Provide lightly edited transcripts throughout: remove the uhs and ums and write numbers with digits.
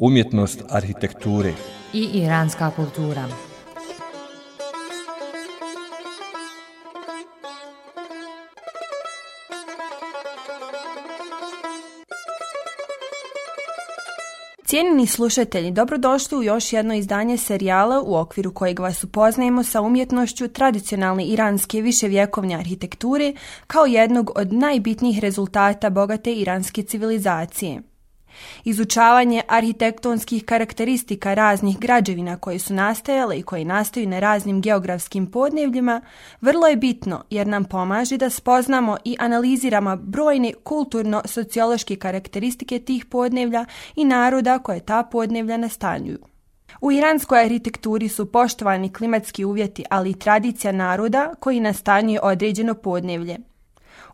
Umjetnost arhitekture i iranska kultura. Cijenjeni slušatelji, dobrodošli u još jedno izdanje serijala u okviru kojeg vas upoznajemo sa umjetnošću tradicionalne iranske viševjekovne arhitekture kao jednog od najbitnijih rezultata bogate iranske civilizacije. Izučavanje arhitektonskih karakteristika raznih građevina koje su nastajale i koje nastaju na raznim geografskim podnevljima vrlo je bitno jer nam pomaže da spoznamo i analiziramo brojne kulturno-sociološke karakteristike tih podnevlja i naroda koje ta podnevlja nastanjuju. U iranskoj arhitekturi su poštovani klimatski uvjeti, ali i tradicija naroda koji nastanjuje određeno podnevlje.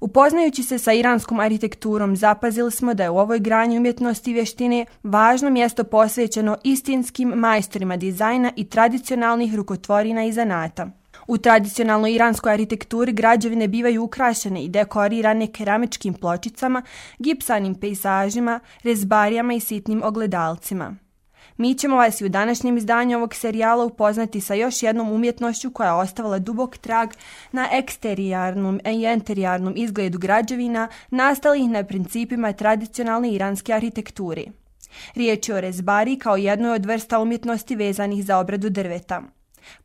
Upoznajući se sa iranskom arhitekturom, zapazili smo da je u ovoj grani umjetnosti i vještine važno mjesto posvećeno istinskim majstorima dizajna i tradicionalnih rukotvorina i zanata. U tradicionalnoj iranskoj arhitekturi građevine bivaju ukrašene i dekorirane keramičkim pločicama, gipsanim pejzažima, rezbarijama i sitnim ogledalcima. Mi ćemo vas i u današnjem izdanju ovog serijala upoznati sa još jednom umjetnošću koja je ostavila dubok trag na eksterijarnom i interijarnom izgledu građevina nastalih na principima tradicionalne iranske arhitekture. Riječ je o rezbari kao jednoj od vrsta umjetnosti vezanih za obradu drveta.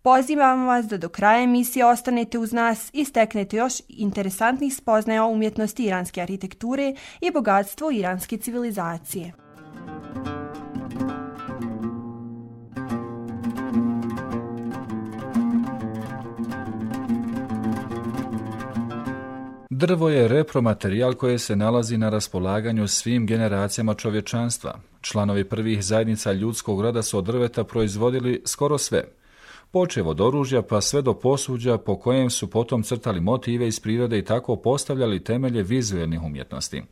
Pozivamo vas da do kraja emisije ostanete uz nas i steknete još interesantnih spoznaja o umjetnosti iranske arhitekture i bogatstvu iranske civilizacije. Drvo je repromaterijal koji se nalazi na raspolaganju svim generacijama čovječanstva. Članovi prvih zajednica ljudskog roda su od drveta proizvodili skoro sve. Počev od oružja pa sve do posuđa po kojem su potom crtali motive iz prirode i tako postavljali temelje vizuelnih umjetnosti.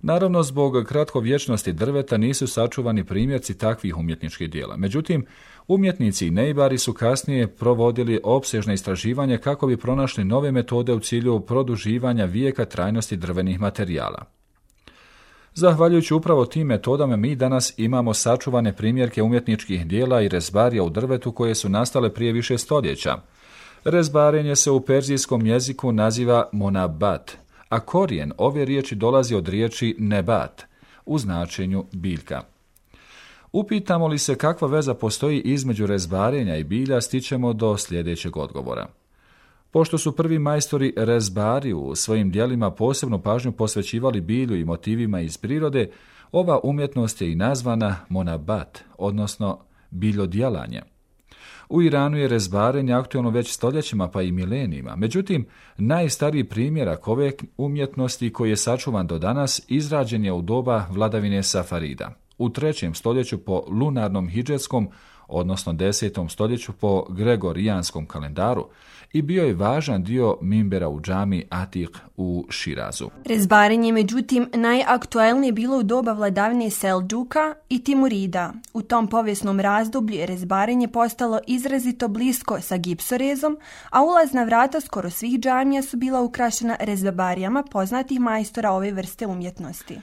Naravno, zbog kratkovječnosti drveta nisu sačuvani primjerci takvih umjetničkih dijela. Međutim, umjetnici i nejbari su kasnije provodili opsežne istraživanje kako bi pronašli nove metode u cilju produživanja vijeka trajnosti drvenih materijala. Zahvaljujući upravo tim metodama mi danas imamo sačuvane primjerke umjetničkih dijela i rezbarija u drvetu koje su nastale prije više stoljeća. Rezbarenje se u perzijskom jeziku naziva monabat, a korijen ove riječi dolazi od riječi nebat, u značenju biljka. Upitamo li se kakva veza postoji između rezbarenja i bilja, stičemo do sljedećeg odgovora. Pošto su prvi majstori rezbari u svojim djelima posebnu pažnju posvećivali bilju i motivima iz prirode, ova umjetnost je i nazvana monabat, odnosno biljodjelanje. U Iranu je rezbarenje aktualno već stoljećima pa i milenijima. Međutim, najstariji primjerak ove umjetnosti koji je sačuvan do danas izrađen je u doba vladavine Safarida. U 3. stoljeću po lunarnom hidžetskom, odnosno 10. stoljeću po gregorijanskom kalendaru i bio je važan dio minbera u džami Atik u Širazu. Rezbarenje, međutim, najaktuelnije bilo u doba vladavine Seldžuka i Timurida. U tom povijesnom razdoblju je rezbarenje postalo izrazito blisko sa gipsorezom, a ulazna vrata skoro svih džamija su bila ukrašena rezbarijama poznatih majstora ove vrste umjetnosti.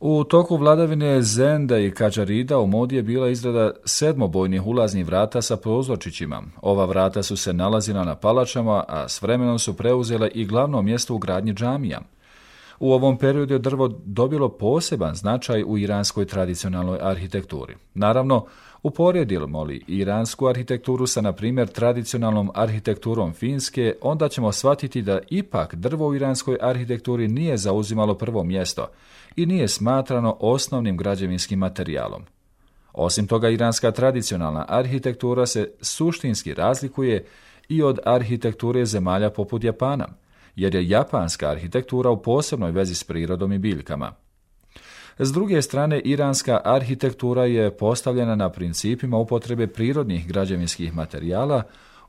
U toku vladavine Zenda i Kadžarida u modi je bila izrada 7-bojnih ulaznih vrata sa prozorčićima. Ova vrata su se nalazila na palačama, a s vremenom su preuzele i glavno mjesto u gradnji džamija. U ovom periodu je drvo dobilo poseban značaj u iranskoj tradicionalnoj arhitekturi. Naravno, uporedimo li iransku arhitekturu sa, na primjer, tradicionalnom arhitekturom Finske, onda ćemo shvatiti da ipak drvo u iranskoj arhitekturi nije zauzimalo prvo mjesto i nije smatrano osnovnim građevinskim materijalom. Osim toga, iranska tradicionalna arhitektura se suštinski razlikuje i od arhitekture zemalja poput Japana, jer je japanska arhitektura u posebnoj vezi s prirodom i biljkama. S druge strane, iranska arhitektura je postavljena na principima upotrebe prirodnih građevinskih materijala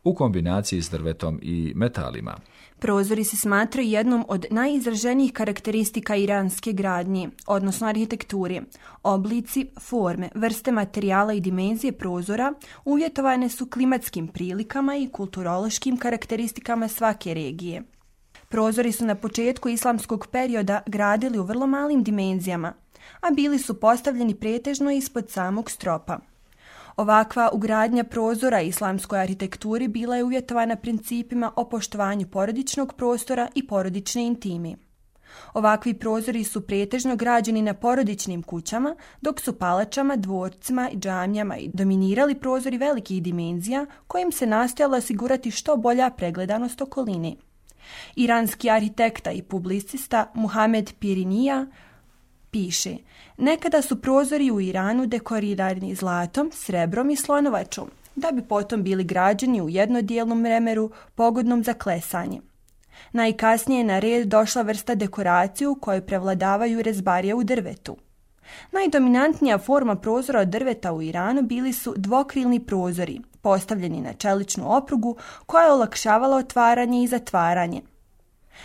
u kombinaciji s drvetom i metalima. Prozori se smatraju jednom od najizraženijih karakteristika iranske gradnje, odnosno arhitekture. Oblici, forme, vrste materijala i dimenzije prozora uvjetovane su klimatskim prilikama i kulturološkim karakteristikama svake regije. Prozori su na početku islamskog perioda gradili u vrlo malim dimenzijama. a bili su postavljeni pretežno ispod samog stropa. Ovakva ugradnja prozora islamskoj arhitekturi bila je uvjetovana principima o poštovanju porodičnog prostora i porodične intime. Ovakvi prozori su pretežno građeni na porodičnim kućama, dok su palačama, dvorcima i džamijama dominirali prozori velikih dimenzija kojim se nastojalo osigurati što bolja pregledanost okoline. Iranski arhitekta i publicista Muhamed Pirinija piše: nekada su prozori u Iranu dekorirani zlatom, srebrom i slonovačom, da bi potom bili građeni u jednodijelnom mremeru pogodnom za klesanje. Najkasnije je na red došla vrsta dekoracije u kojoj prevladavaju rezbarije u drvetu. Najdominantnija forma prozora od drveta u Iranu bili su dvokrilni prozori, postavljeni na čeličnu oprugu koja je olakšavala otvaranje i zatvaranje.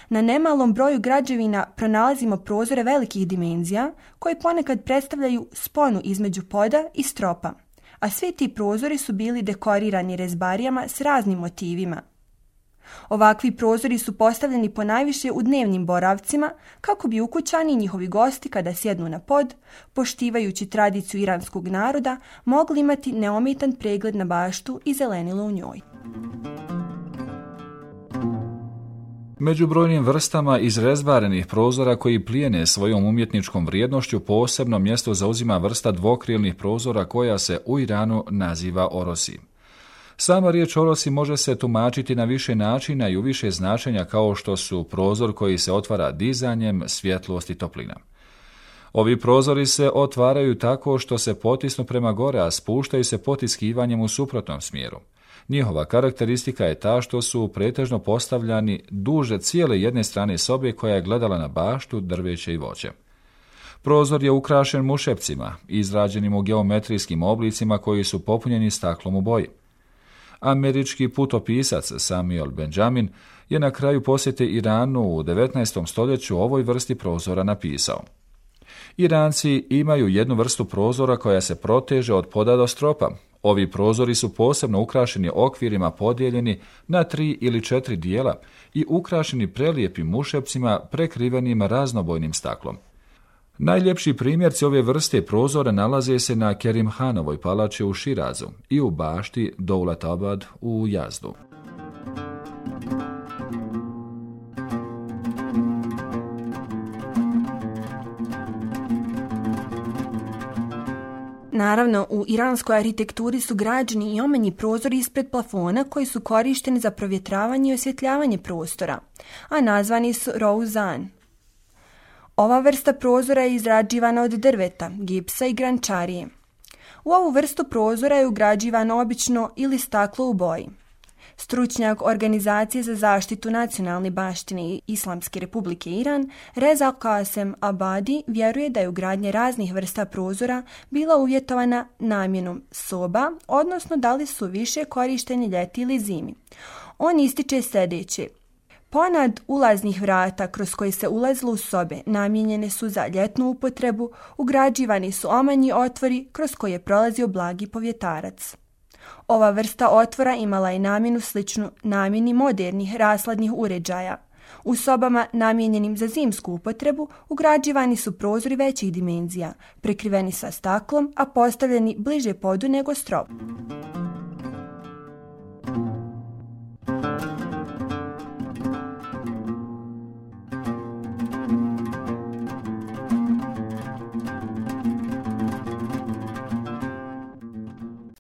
Na nemalom broju građevina pronalazimo prozore velikih dimenzija koji ponekad predstavljaju sponu između poda i stropa, a svi ti prozori su bili dekorirani rezbarijama s raznim motivima. Ovakvi prozori su postavljeni ponajviše u dnevnim boravcima kako bi ukućani i njihovi gosti kada sjednu na pod, poštivajući tradiciju iranskog naroda, mogli imati neometan pregled na baštu i zelenilo u njoj. Među brojnim vrstama izrezbarenih prozora koji plijene svojom umjetničkom vrijednošću posebno mjesto zauzima vrsta dvokrilnih prozora koja se u Iranu naziva orosi. Sama riječ orosi može se tumačiti na više načina i u više značenja kao što su prozor koji se otvara dizanjem, svjetlost i toplina. Ovi prozori se otvaraju tako što se potisnu prema gore, a spuštaju se potiskivanjem u suprotnom smjeru. Njihova karakteristika je ta što su pretežno postavljani duže cijele jedne strane sobe koja je gledala na baštu, drveće i voće. Prozor je ukrašen mušepcima, izrađenim u geometrijskim oblicima koji su popunjeni staklom u boji. Američki putopisac Samuel Benjamin je na kraju posjete Iranu u 19. stoljeću o ovoj vrsti prozora napisao: Iranci imaju jednu vrstu prozora koja se proteže od poda do stropa. Ovi prozori su posebno ukrašeni okvirima podijeljeni na 3 ili 4 dijela i ukrašeni prelijepim mušepcima prekrivenim raznobojnim staklom. Najljepši primjerci ove vrste prozora nalaze se na Kerimhanovoj palači u Širazu i u bašti Dovlatabad u Jazdu. Naravno, u iranskoj arhitekturi su građeni i omanji prozori ispred plafona koji su korišteni za provjetravanje i osvjetljavanje prostora, a nazvani su rouzan. Ova vrsta prozora je izrađivana od drveta, gipsa i grančarije. U ovu vrstu prozora je ugrađivano obično ili staklo u boji. Stručnjak Organizacije za zaštitu nacionalne baštine Islamske republike Iran, Reza Qasem Abadi, vjeruje da je ugradnja raznih vrsta prozora bila uvjetovana namjenom soba, odnosno da li su više korišteni ljeti ili zimi. On ističe sljedeće: ponad ulaznih vrata kroz koje se ulazilo u sobe namijenjene su za ljetnu upotrebu, ugrađivani su omanji otvori kroz koje je prolazio blagi povjetarac. Ova vrsta otvora imala je namjenu sličnu namjeni modernih rasladnih uređaja. U sobama namijenjenim za zimsku upotrebu ugrađivani su prozori većih dimenzija, prekriveni sa staklom, a postavljeni bliže podu nego strop.